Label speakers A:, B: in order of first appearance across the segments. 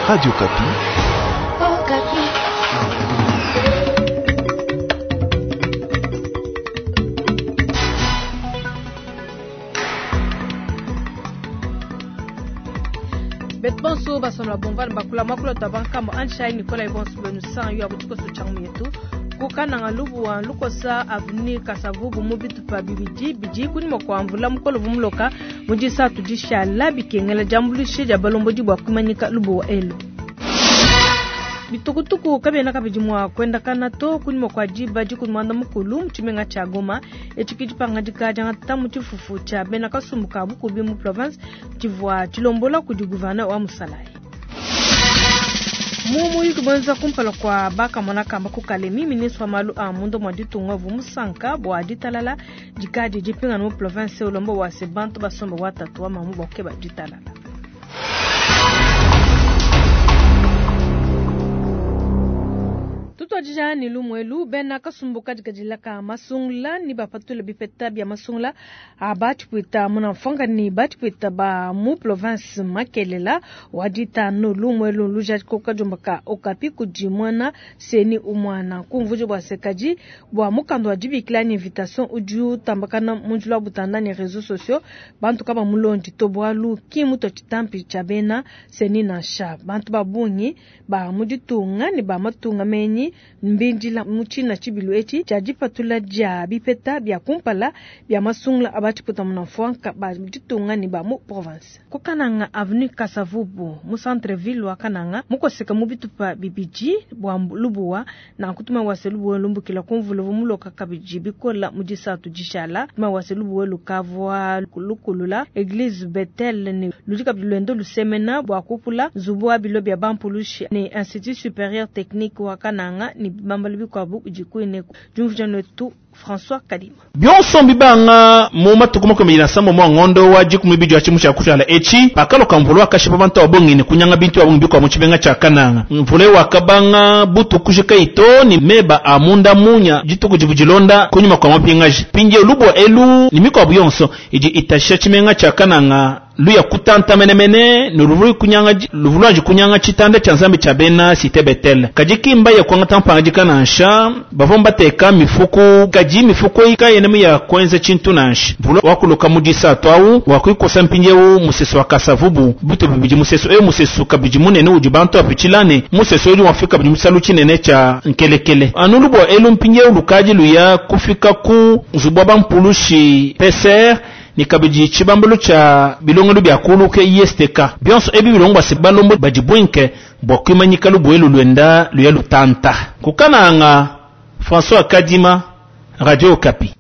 A: Radio Okapi.
B: Okapi.
C: Betu bonso basomla bomvana bakula mwakula tabankambo anshai Nicolas Ebonso benu san yo abutikoso changu yetu kukananga lubuwa lukosa avenue kasavubu mu bitupa bibidi bidi kunyima kua mvula mukolo vumuloka mu disatu dishala bikengela diambuluisha dia balombodi bua kumanyika lubuwa elu. Bitukutuku kabiena kabidi mua kuendakana to kunyima kua diba dikumi muanda mukulu mu tshimenga tshia Goma. Etshi ke dipangadika diangata mu tshifufu tshia bena kasumbu ka bukubi mu province tshivua tshilombola kudi gouverneur wa Musalayi. Mu muyuki muenza kumpala kua bakamona kamba ku Kalemi, ministre wa malu a munda mua ditunga uvua musanka bua ditalala dikadi dipingana mu province, ulomba bua se bantu basombe wa tatu wa mamu bua kukeba ditalala. Tutuadija ne lumu elu, bena kasumbu kadikadila ka masungula ne bapatula bipeta bia masungula a batshipwita munamfwanga ne batshipwita ba mu province Makelela wa ditanu. Lumu elu lujadika kadiomba ka Okapi kudi muena CENI umwana kumvuja bua se kadi bua mukanda wa dibikila ne invitation udi utambakana mu njila wa butanda ne reseaux sociaux bantu kaba mulondi to bualu ki mutua tshitampi tshia bena CENI nansha. Bantu ba bungi ba mu ditunga ne ba matunga menyi mbindila mu tshina tshibilu etshi tshia dipatula dia bipeta bia kumpala bia masungula a batshiputa munamfwanka ba ditunga ne ba mu province. Ku Kananga avenue Kasavubu mu centre ville wa Kananga mukoseka mu bitupa bibidi bua lubuwa nanku tuma wase lubuwa lumbukila ku mvula uvua muloka kabidi bikola mu disatu dishala. Tuma wase lubuwa lukavua lukulula eglise Bethel ne ludi kabidi luenda lusemena bua kupula nzubu wa bilo bia bampulushi ne Institut Superieur Technique wa Kananga ne bibambalu bikuabu bidi kuineku. Diumvuija netu François Kadima.
D: Bionso mbibanga mu matuku 23 mwa ngondo wa dikumi bidi wa tshimu tshia kushala etshi pakaloka mvula wakashipa bantu ba bungi ne kunyanga bintu bia bungi bikuabu mu tshimenga tshia Kananga. Mvula wakabanga butuku kujika ito ne meba a munda munya dituku divua dilonda kunyima kua mapingaji. Mpindieu lubua elu ne mikuabu yonso idi itashisha tshimenga tshia Kananga luya kutanta menemene ne luvua kunyanga, luvua luanji kunyanga tshitanda tshia Nzambi tshia bena Cité Bethel. Kadi ki mbaye kuangata mpangadika nansha, bavua mbateka mifuku, kadi mifuku eyi kayena ya kuenza tshintu nansha. Mvula wakuluka mu disatu au wakuikosa mpindieu musesu wa Kasavubu bitu bibidi, musesu eu musesu kabidi munene udi bantu bapitshila ne musesu udi wafika kabidi musalu tshinene tshia nkelekele. Anu lubua elu mpindieu lukadi luya kufika ku nzubu wa bampulushi PCR ne kabidi tshibambalu tshia bilongelu bia kulu ke ISTK. Bionso ebi bilongo bua se balombo badi buinke bua kuimanyika lubuelu luenda luya lutanta. Ku Kananga, François Kadima, Radio Okapi.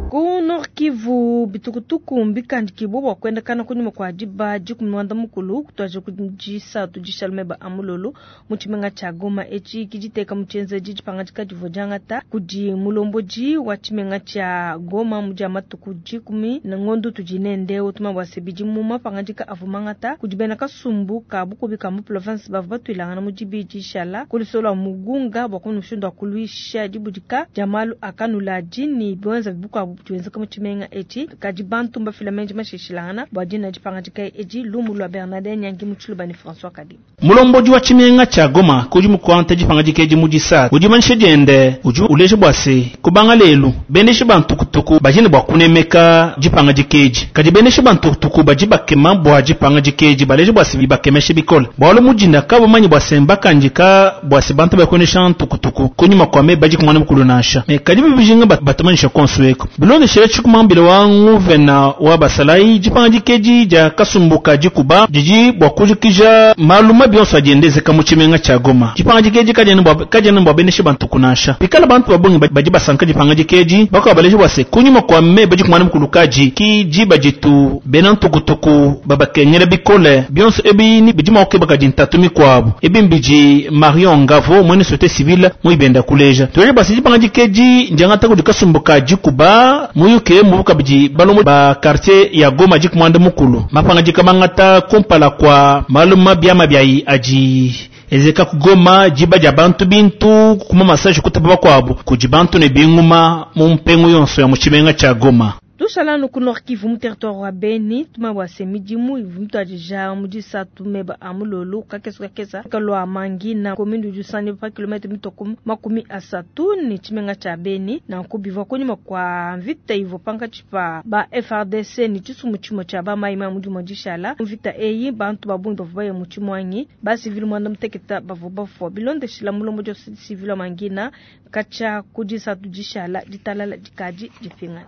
C: Ku Nord Kivu, bitukutuku mbikandikibue bua kuendakana kunyima kua diba dikumi muanda mukulu kutuadija ku disatu dishala meba a mulolo mu tshimenga tshia Goma. Etshi ke diteka mu tshienzedi dipangadika divua diangata kudi mulombodi wa tshimenga tshia Goma mu dia matuku dikumi ne ngondo tudi nende. Utuma bua se bidi mu mapangadika avua mangata kudi bena kasumbu ka bukubi ka mu province bavua batuilangana mu dibidi dishala ku lusolo lua Mugunga bua kumona mushindu wa kuluisha dibudika dia malu a kanuladi ne biwenza bikuabu biwenzeka mu tshimenga etshi. Kadi bantu mbafila menji mashishilangana bua dina dipangadika edi. Lumu lua Bernardin Nyangi mu Tshiluba ne François Kadima.
D: Mulombodi wa tshimenga tshia Goma kudi mukuanta dipangadika edi mu disatu udi manyisha diende udi uleja bua se kubanga lelu bendeshi ba ntukutuku badi ne bua kunemeka dipangadika edi. Kadi bendeshi ba ntukutuku badi bakema bua dipangadika edi baleja bua se bibakemeshe bikole bualu mudinda kabamanyi bua se mbakandika bua se bantu bakuendesha ntukutuku kunyima kua meba dikumi mukulu nansha. Me kadi bibijinga batumanyisha konso eko bilondeshela tshikumambila wa nguvena wa basalayi dipangadika edi dia kasumbu ka dikuba didi bua kujikija malu mabi yonso adi endezeka mu tshimenga tshia Goma. Dipangadika edi kadiena bua bendeshi ba ntuku nansha. Pikala bantu ba bungi badi basanka dipangadika edi bakuabu baleja bua se kunyima kua meba dikumi mukulu kadi ki diba ditu bena ntukutuku babakengela bikole. Bionso ebi ni bidi mua kukeba kadi ntatu mikuabu. Ebi mbidi Marion Ngavo mwene société civile muibenda kuleja. Tuleja bua se dipangadika edi ndiangata kudi kasumbu ka dikuba muyuke mu kabidi balombo ba quartier ya Goma dikumi mukulu. Mapangadika mangata kumpala kwa malu mabi amabi adi ezeka ku Goma diba dia bantu bintu kuma massage kutapa bakuabu kudi bantu ne binguma mu mpengu yonso ya mu tshimenga tshia Goma.
C: Tushala anu ku Nord Kivu mu territoire wa Beni, tumanye bua se midimu ivua mituadija mu disatu meba a mulolu kakesa kakesa kalua Mangina, commune udi usanganyibua pa kilometre mitue ku 30 ne tshimenga tshia Beni. Nanku bivua kunyima kua mvita ivua pankatshi pa ba FARDC ne tshisumbu tshimue tshia ba mayi mayi mu dimue dishala. Mu mvita eyi bantu ba bungi bavua baya mu tshimuangi, ba civil muanda muteketa bavua bafua bilondeshila mulombodi wa societe civile wa Mangina katshia ku disatu dishala ditalala dikadi dipingana.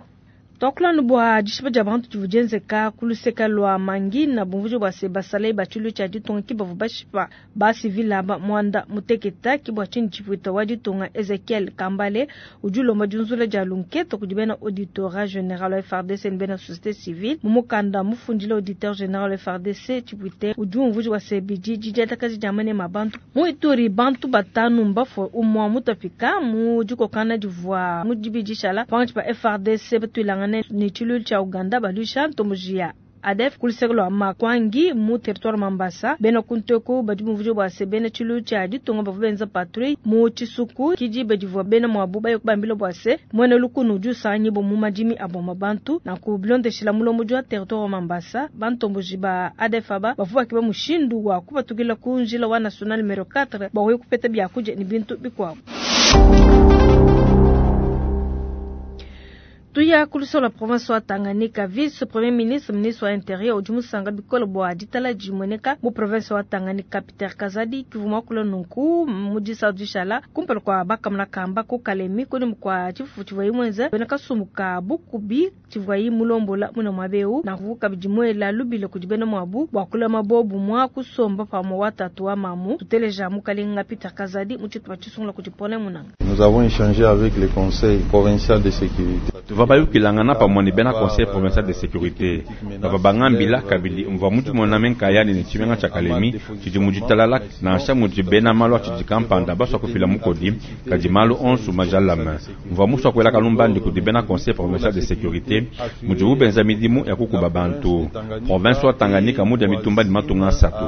C: Tuakula anu bua dishipa dia bantu divua dienzeka ku luseke lua Mangina, bumvuija bua se basalayi ba tshiluilu tshia ditunga ki bavua bashipa ba civil aba muanda muteketa. Ki bua tshinyi tshipuita wa ditunga Ezechiel Kambale udi ulomba diunzula dia lunketa kudi bena auditorat general wa FARDC ne bena societe civile. Mu mukanda mufundila auditeur general wa FARDC, tshipuita udi umvuija bua se bidi didiatakaja dia manema a bantu. Mu Ituri, bantu batanu mbafue, umua mutapika mu dikokangana divua mu dibidi dishala pankatshi pa FARDC batuilangane ne tshiluilu tshia Uganda baluisha ntomboji ya ADF ku luseke lua Makwangi mu territoire Mambasa. Bena ku nteku badi bumvuija bua se bena tshiluilu tshia ditunga bavua benza patrouille mu tshisuku ki diba divua bena muabu baye kubambila bua se muena lukunu udi usanganyibua mu madimi a boma bantu. Nanku bilondeshila mulombodi wa territoire wa Mambasa, bantomboji ba ADF aba bavua bakeba mushindu wa kupatukila ku njila wa national numero 4 bua kuya kupeta biakudia ne bintu bikuabu. Tuya ku luseke lua province wa Tanganyika, vice premier ministre, ministre wa interieur udi musanka bikole bua ditala dimueneka mu province wa Tanganyika. Peter Kazadi kivua muakula nunku mu disatu dishala kumpala kua bakamuna kamba ku Kalemi kunyima kua tshifufu tshivuaye muenze bena kasumbu ka bukubi tshivuaye mulombola muine muaba eu. Nanku kabidi muela lubila kudi bena muabu bua kulama bobumua kusomba pamue wa tatu wa mamu. Tuteleja mukalenga Peter Kazadi mu tshitupa tshisungula kudi Paulin Munanga.
A: Nous avons échangé avec le conseil provincial de sécurité.
E: Tuvua bayukilangana pamue ne bena conseil provincial de sécurité. Bavua bangambila kabidi mvua mudimona me nkayani ne tshimenga tshia Kalemi tshidi mu ditalala, nansha mudi bena malu a tshidi kampanda basua kufila mukodi, kadi malu onso majalame. Mvua musua kuela kalumbandi kudi bena conseil provincial de sécurité mudibu benza midimu ya kukuba bantu. Province wa Tanganyika mudia mitumba ne matunga asatu.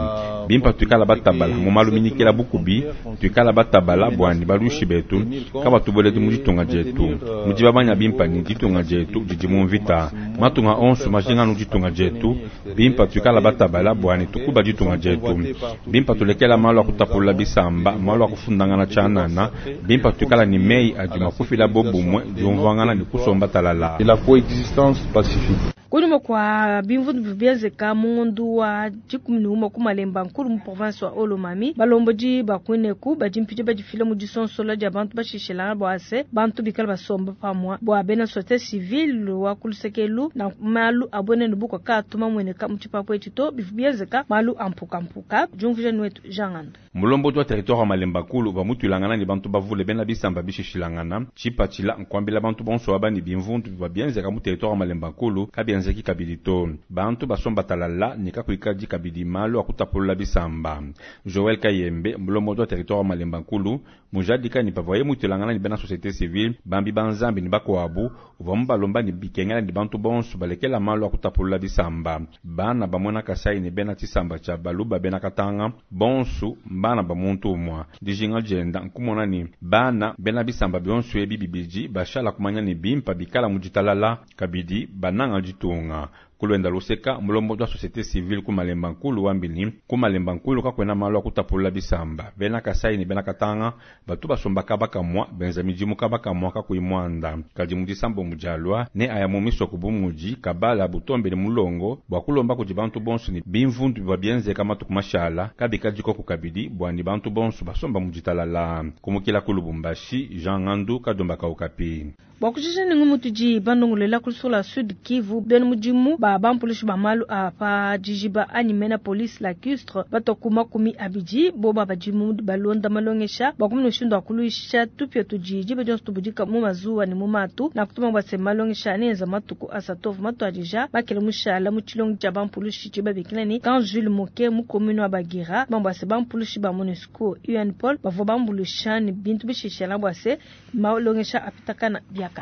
E: Bimpa tuikala batabala mu malu minyikila bukubi, tuikala batabala buani baluishi betu kabatubueledi mu ditunga dietu. Mudi babanya bimpa ne ditunga dietu didi mu mvita. Matunga onso majinga nu ditunga dietu. Bimpa tuikala batabala buani tukuba ditunga dietu. Bimpa tulekela malu a kutapulula bisamba, malu a kufundangana tshianana. Bimpa tuikala ne meyi adi mua kufila bobumue, diumvuangana ne kusomba talala.
A: Et la coexistence pacifique.
C: Kunyima kua bimvundu bivua bienzeka mu ngondo wa 11 ku Malemba Nkulu mu province wa Haut-Lomami, balombodi ba kuineku badi mpidi badifila mu disonsola dia bantu bashishilangana bua se bantu bikale basomba pamue bua bena societe civile wa ku luseke elu na malu a buenenu bukua kaatu mamueneka mu tshipapu etshi to bivua bienzeka malu a mpukampuka. Diumvuija nuetu Jean Ngando.
E: Mulombodi wa territoire wa Malemba Nkulu uvua mutuilangana ne bantu bavule bena bisamba bishishilangana. Tshipatshila nkuambila bantu bonso aba ne bimvundu bivua bienzeka mu territoire wa Malemba Nkulu kabienzeki kabidi to. Bantu basomba talala ne kakuikadi kabidi malu a kutapulula bisamba. Joel Kayembe, mulombodi wa territoire wa Malemba Nkulu, mujadika ne pavuaye mutuilangana ne bena société civile, bambi ba Nzambi ne bakuabu, uvua mubalomba ne bikengela ne bantu bonso balekela malu a kutapulula bisamba. Bana ba muena Kasai ne bena tshisamba tshia Baluba bena Katanga bonso mbana ba muntu umue. Dijinga dienda nkumona ne bana bena bisamba bionso ebi bibidi bashala kumanya ne bimpa bikala mu ditalala kabidi bananga ditunga. Kulwenda luseka mulombodi wa société civile ku Malemba Nkulu wambini ku Malemba Nkulu kakwena malu a kutapulula bisamba. Bena Kasai ne bena Katanga batu basomba kaba kamua benza midimu kaba kamua kakuyi muanda. Kadi mu disambo mudialua ne aya mu misoko bu mudi Kabala Butombe ne Mulongo bua kulomba kudi bantu bonso ne bimvundu bivua bienzeka matuku mashala kabikadikoku kabidi bua ne bantu bonso basomba mu ditalala. Kumukila ku Lubumbashi, Jean Ngandu Kadomba Kaukapi.
C: Bua kujija ne ngumu tudi bandongolela ku luseke lua Sud Kivu, bena mudimu ba bampulushi ba malu a pa dijiba anyi mena police lacustre batua ku 20 boba badi mu balonda malongesha bua kumona mushindu wa kuluisha tupia tudi diba dionso tubudika mu mazuwa ne mu matu. Nakutuma bua se malongesha neenza matuku asatu avua matuadija makele mushala mu tshilongo tshia bampulushi tshibabikila ne Camp Jules Moke mu commune wa Bagira. Bua se bampulushi ba MONUSCO UNPOL bavua bambuluisha ne bintu bishishela bua se malongesha apitakana biakana.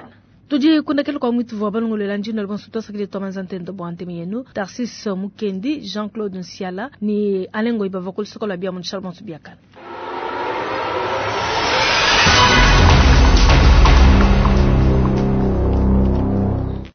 C: Tudi kundekela kwa mwitu wa balongolela njino bonso twasakile twamanza ntendo bwa ntemi yenu Tarsis Mukendi, Jean-Claude Nsiala ni Alengo ibava ku lusoko lwa bia mu bonso biakana.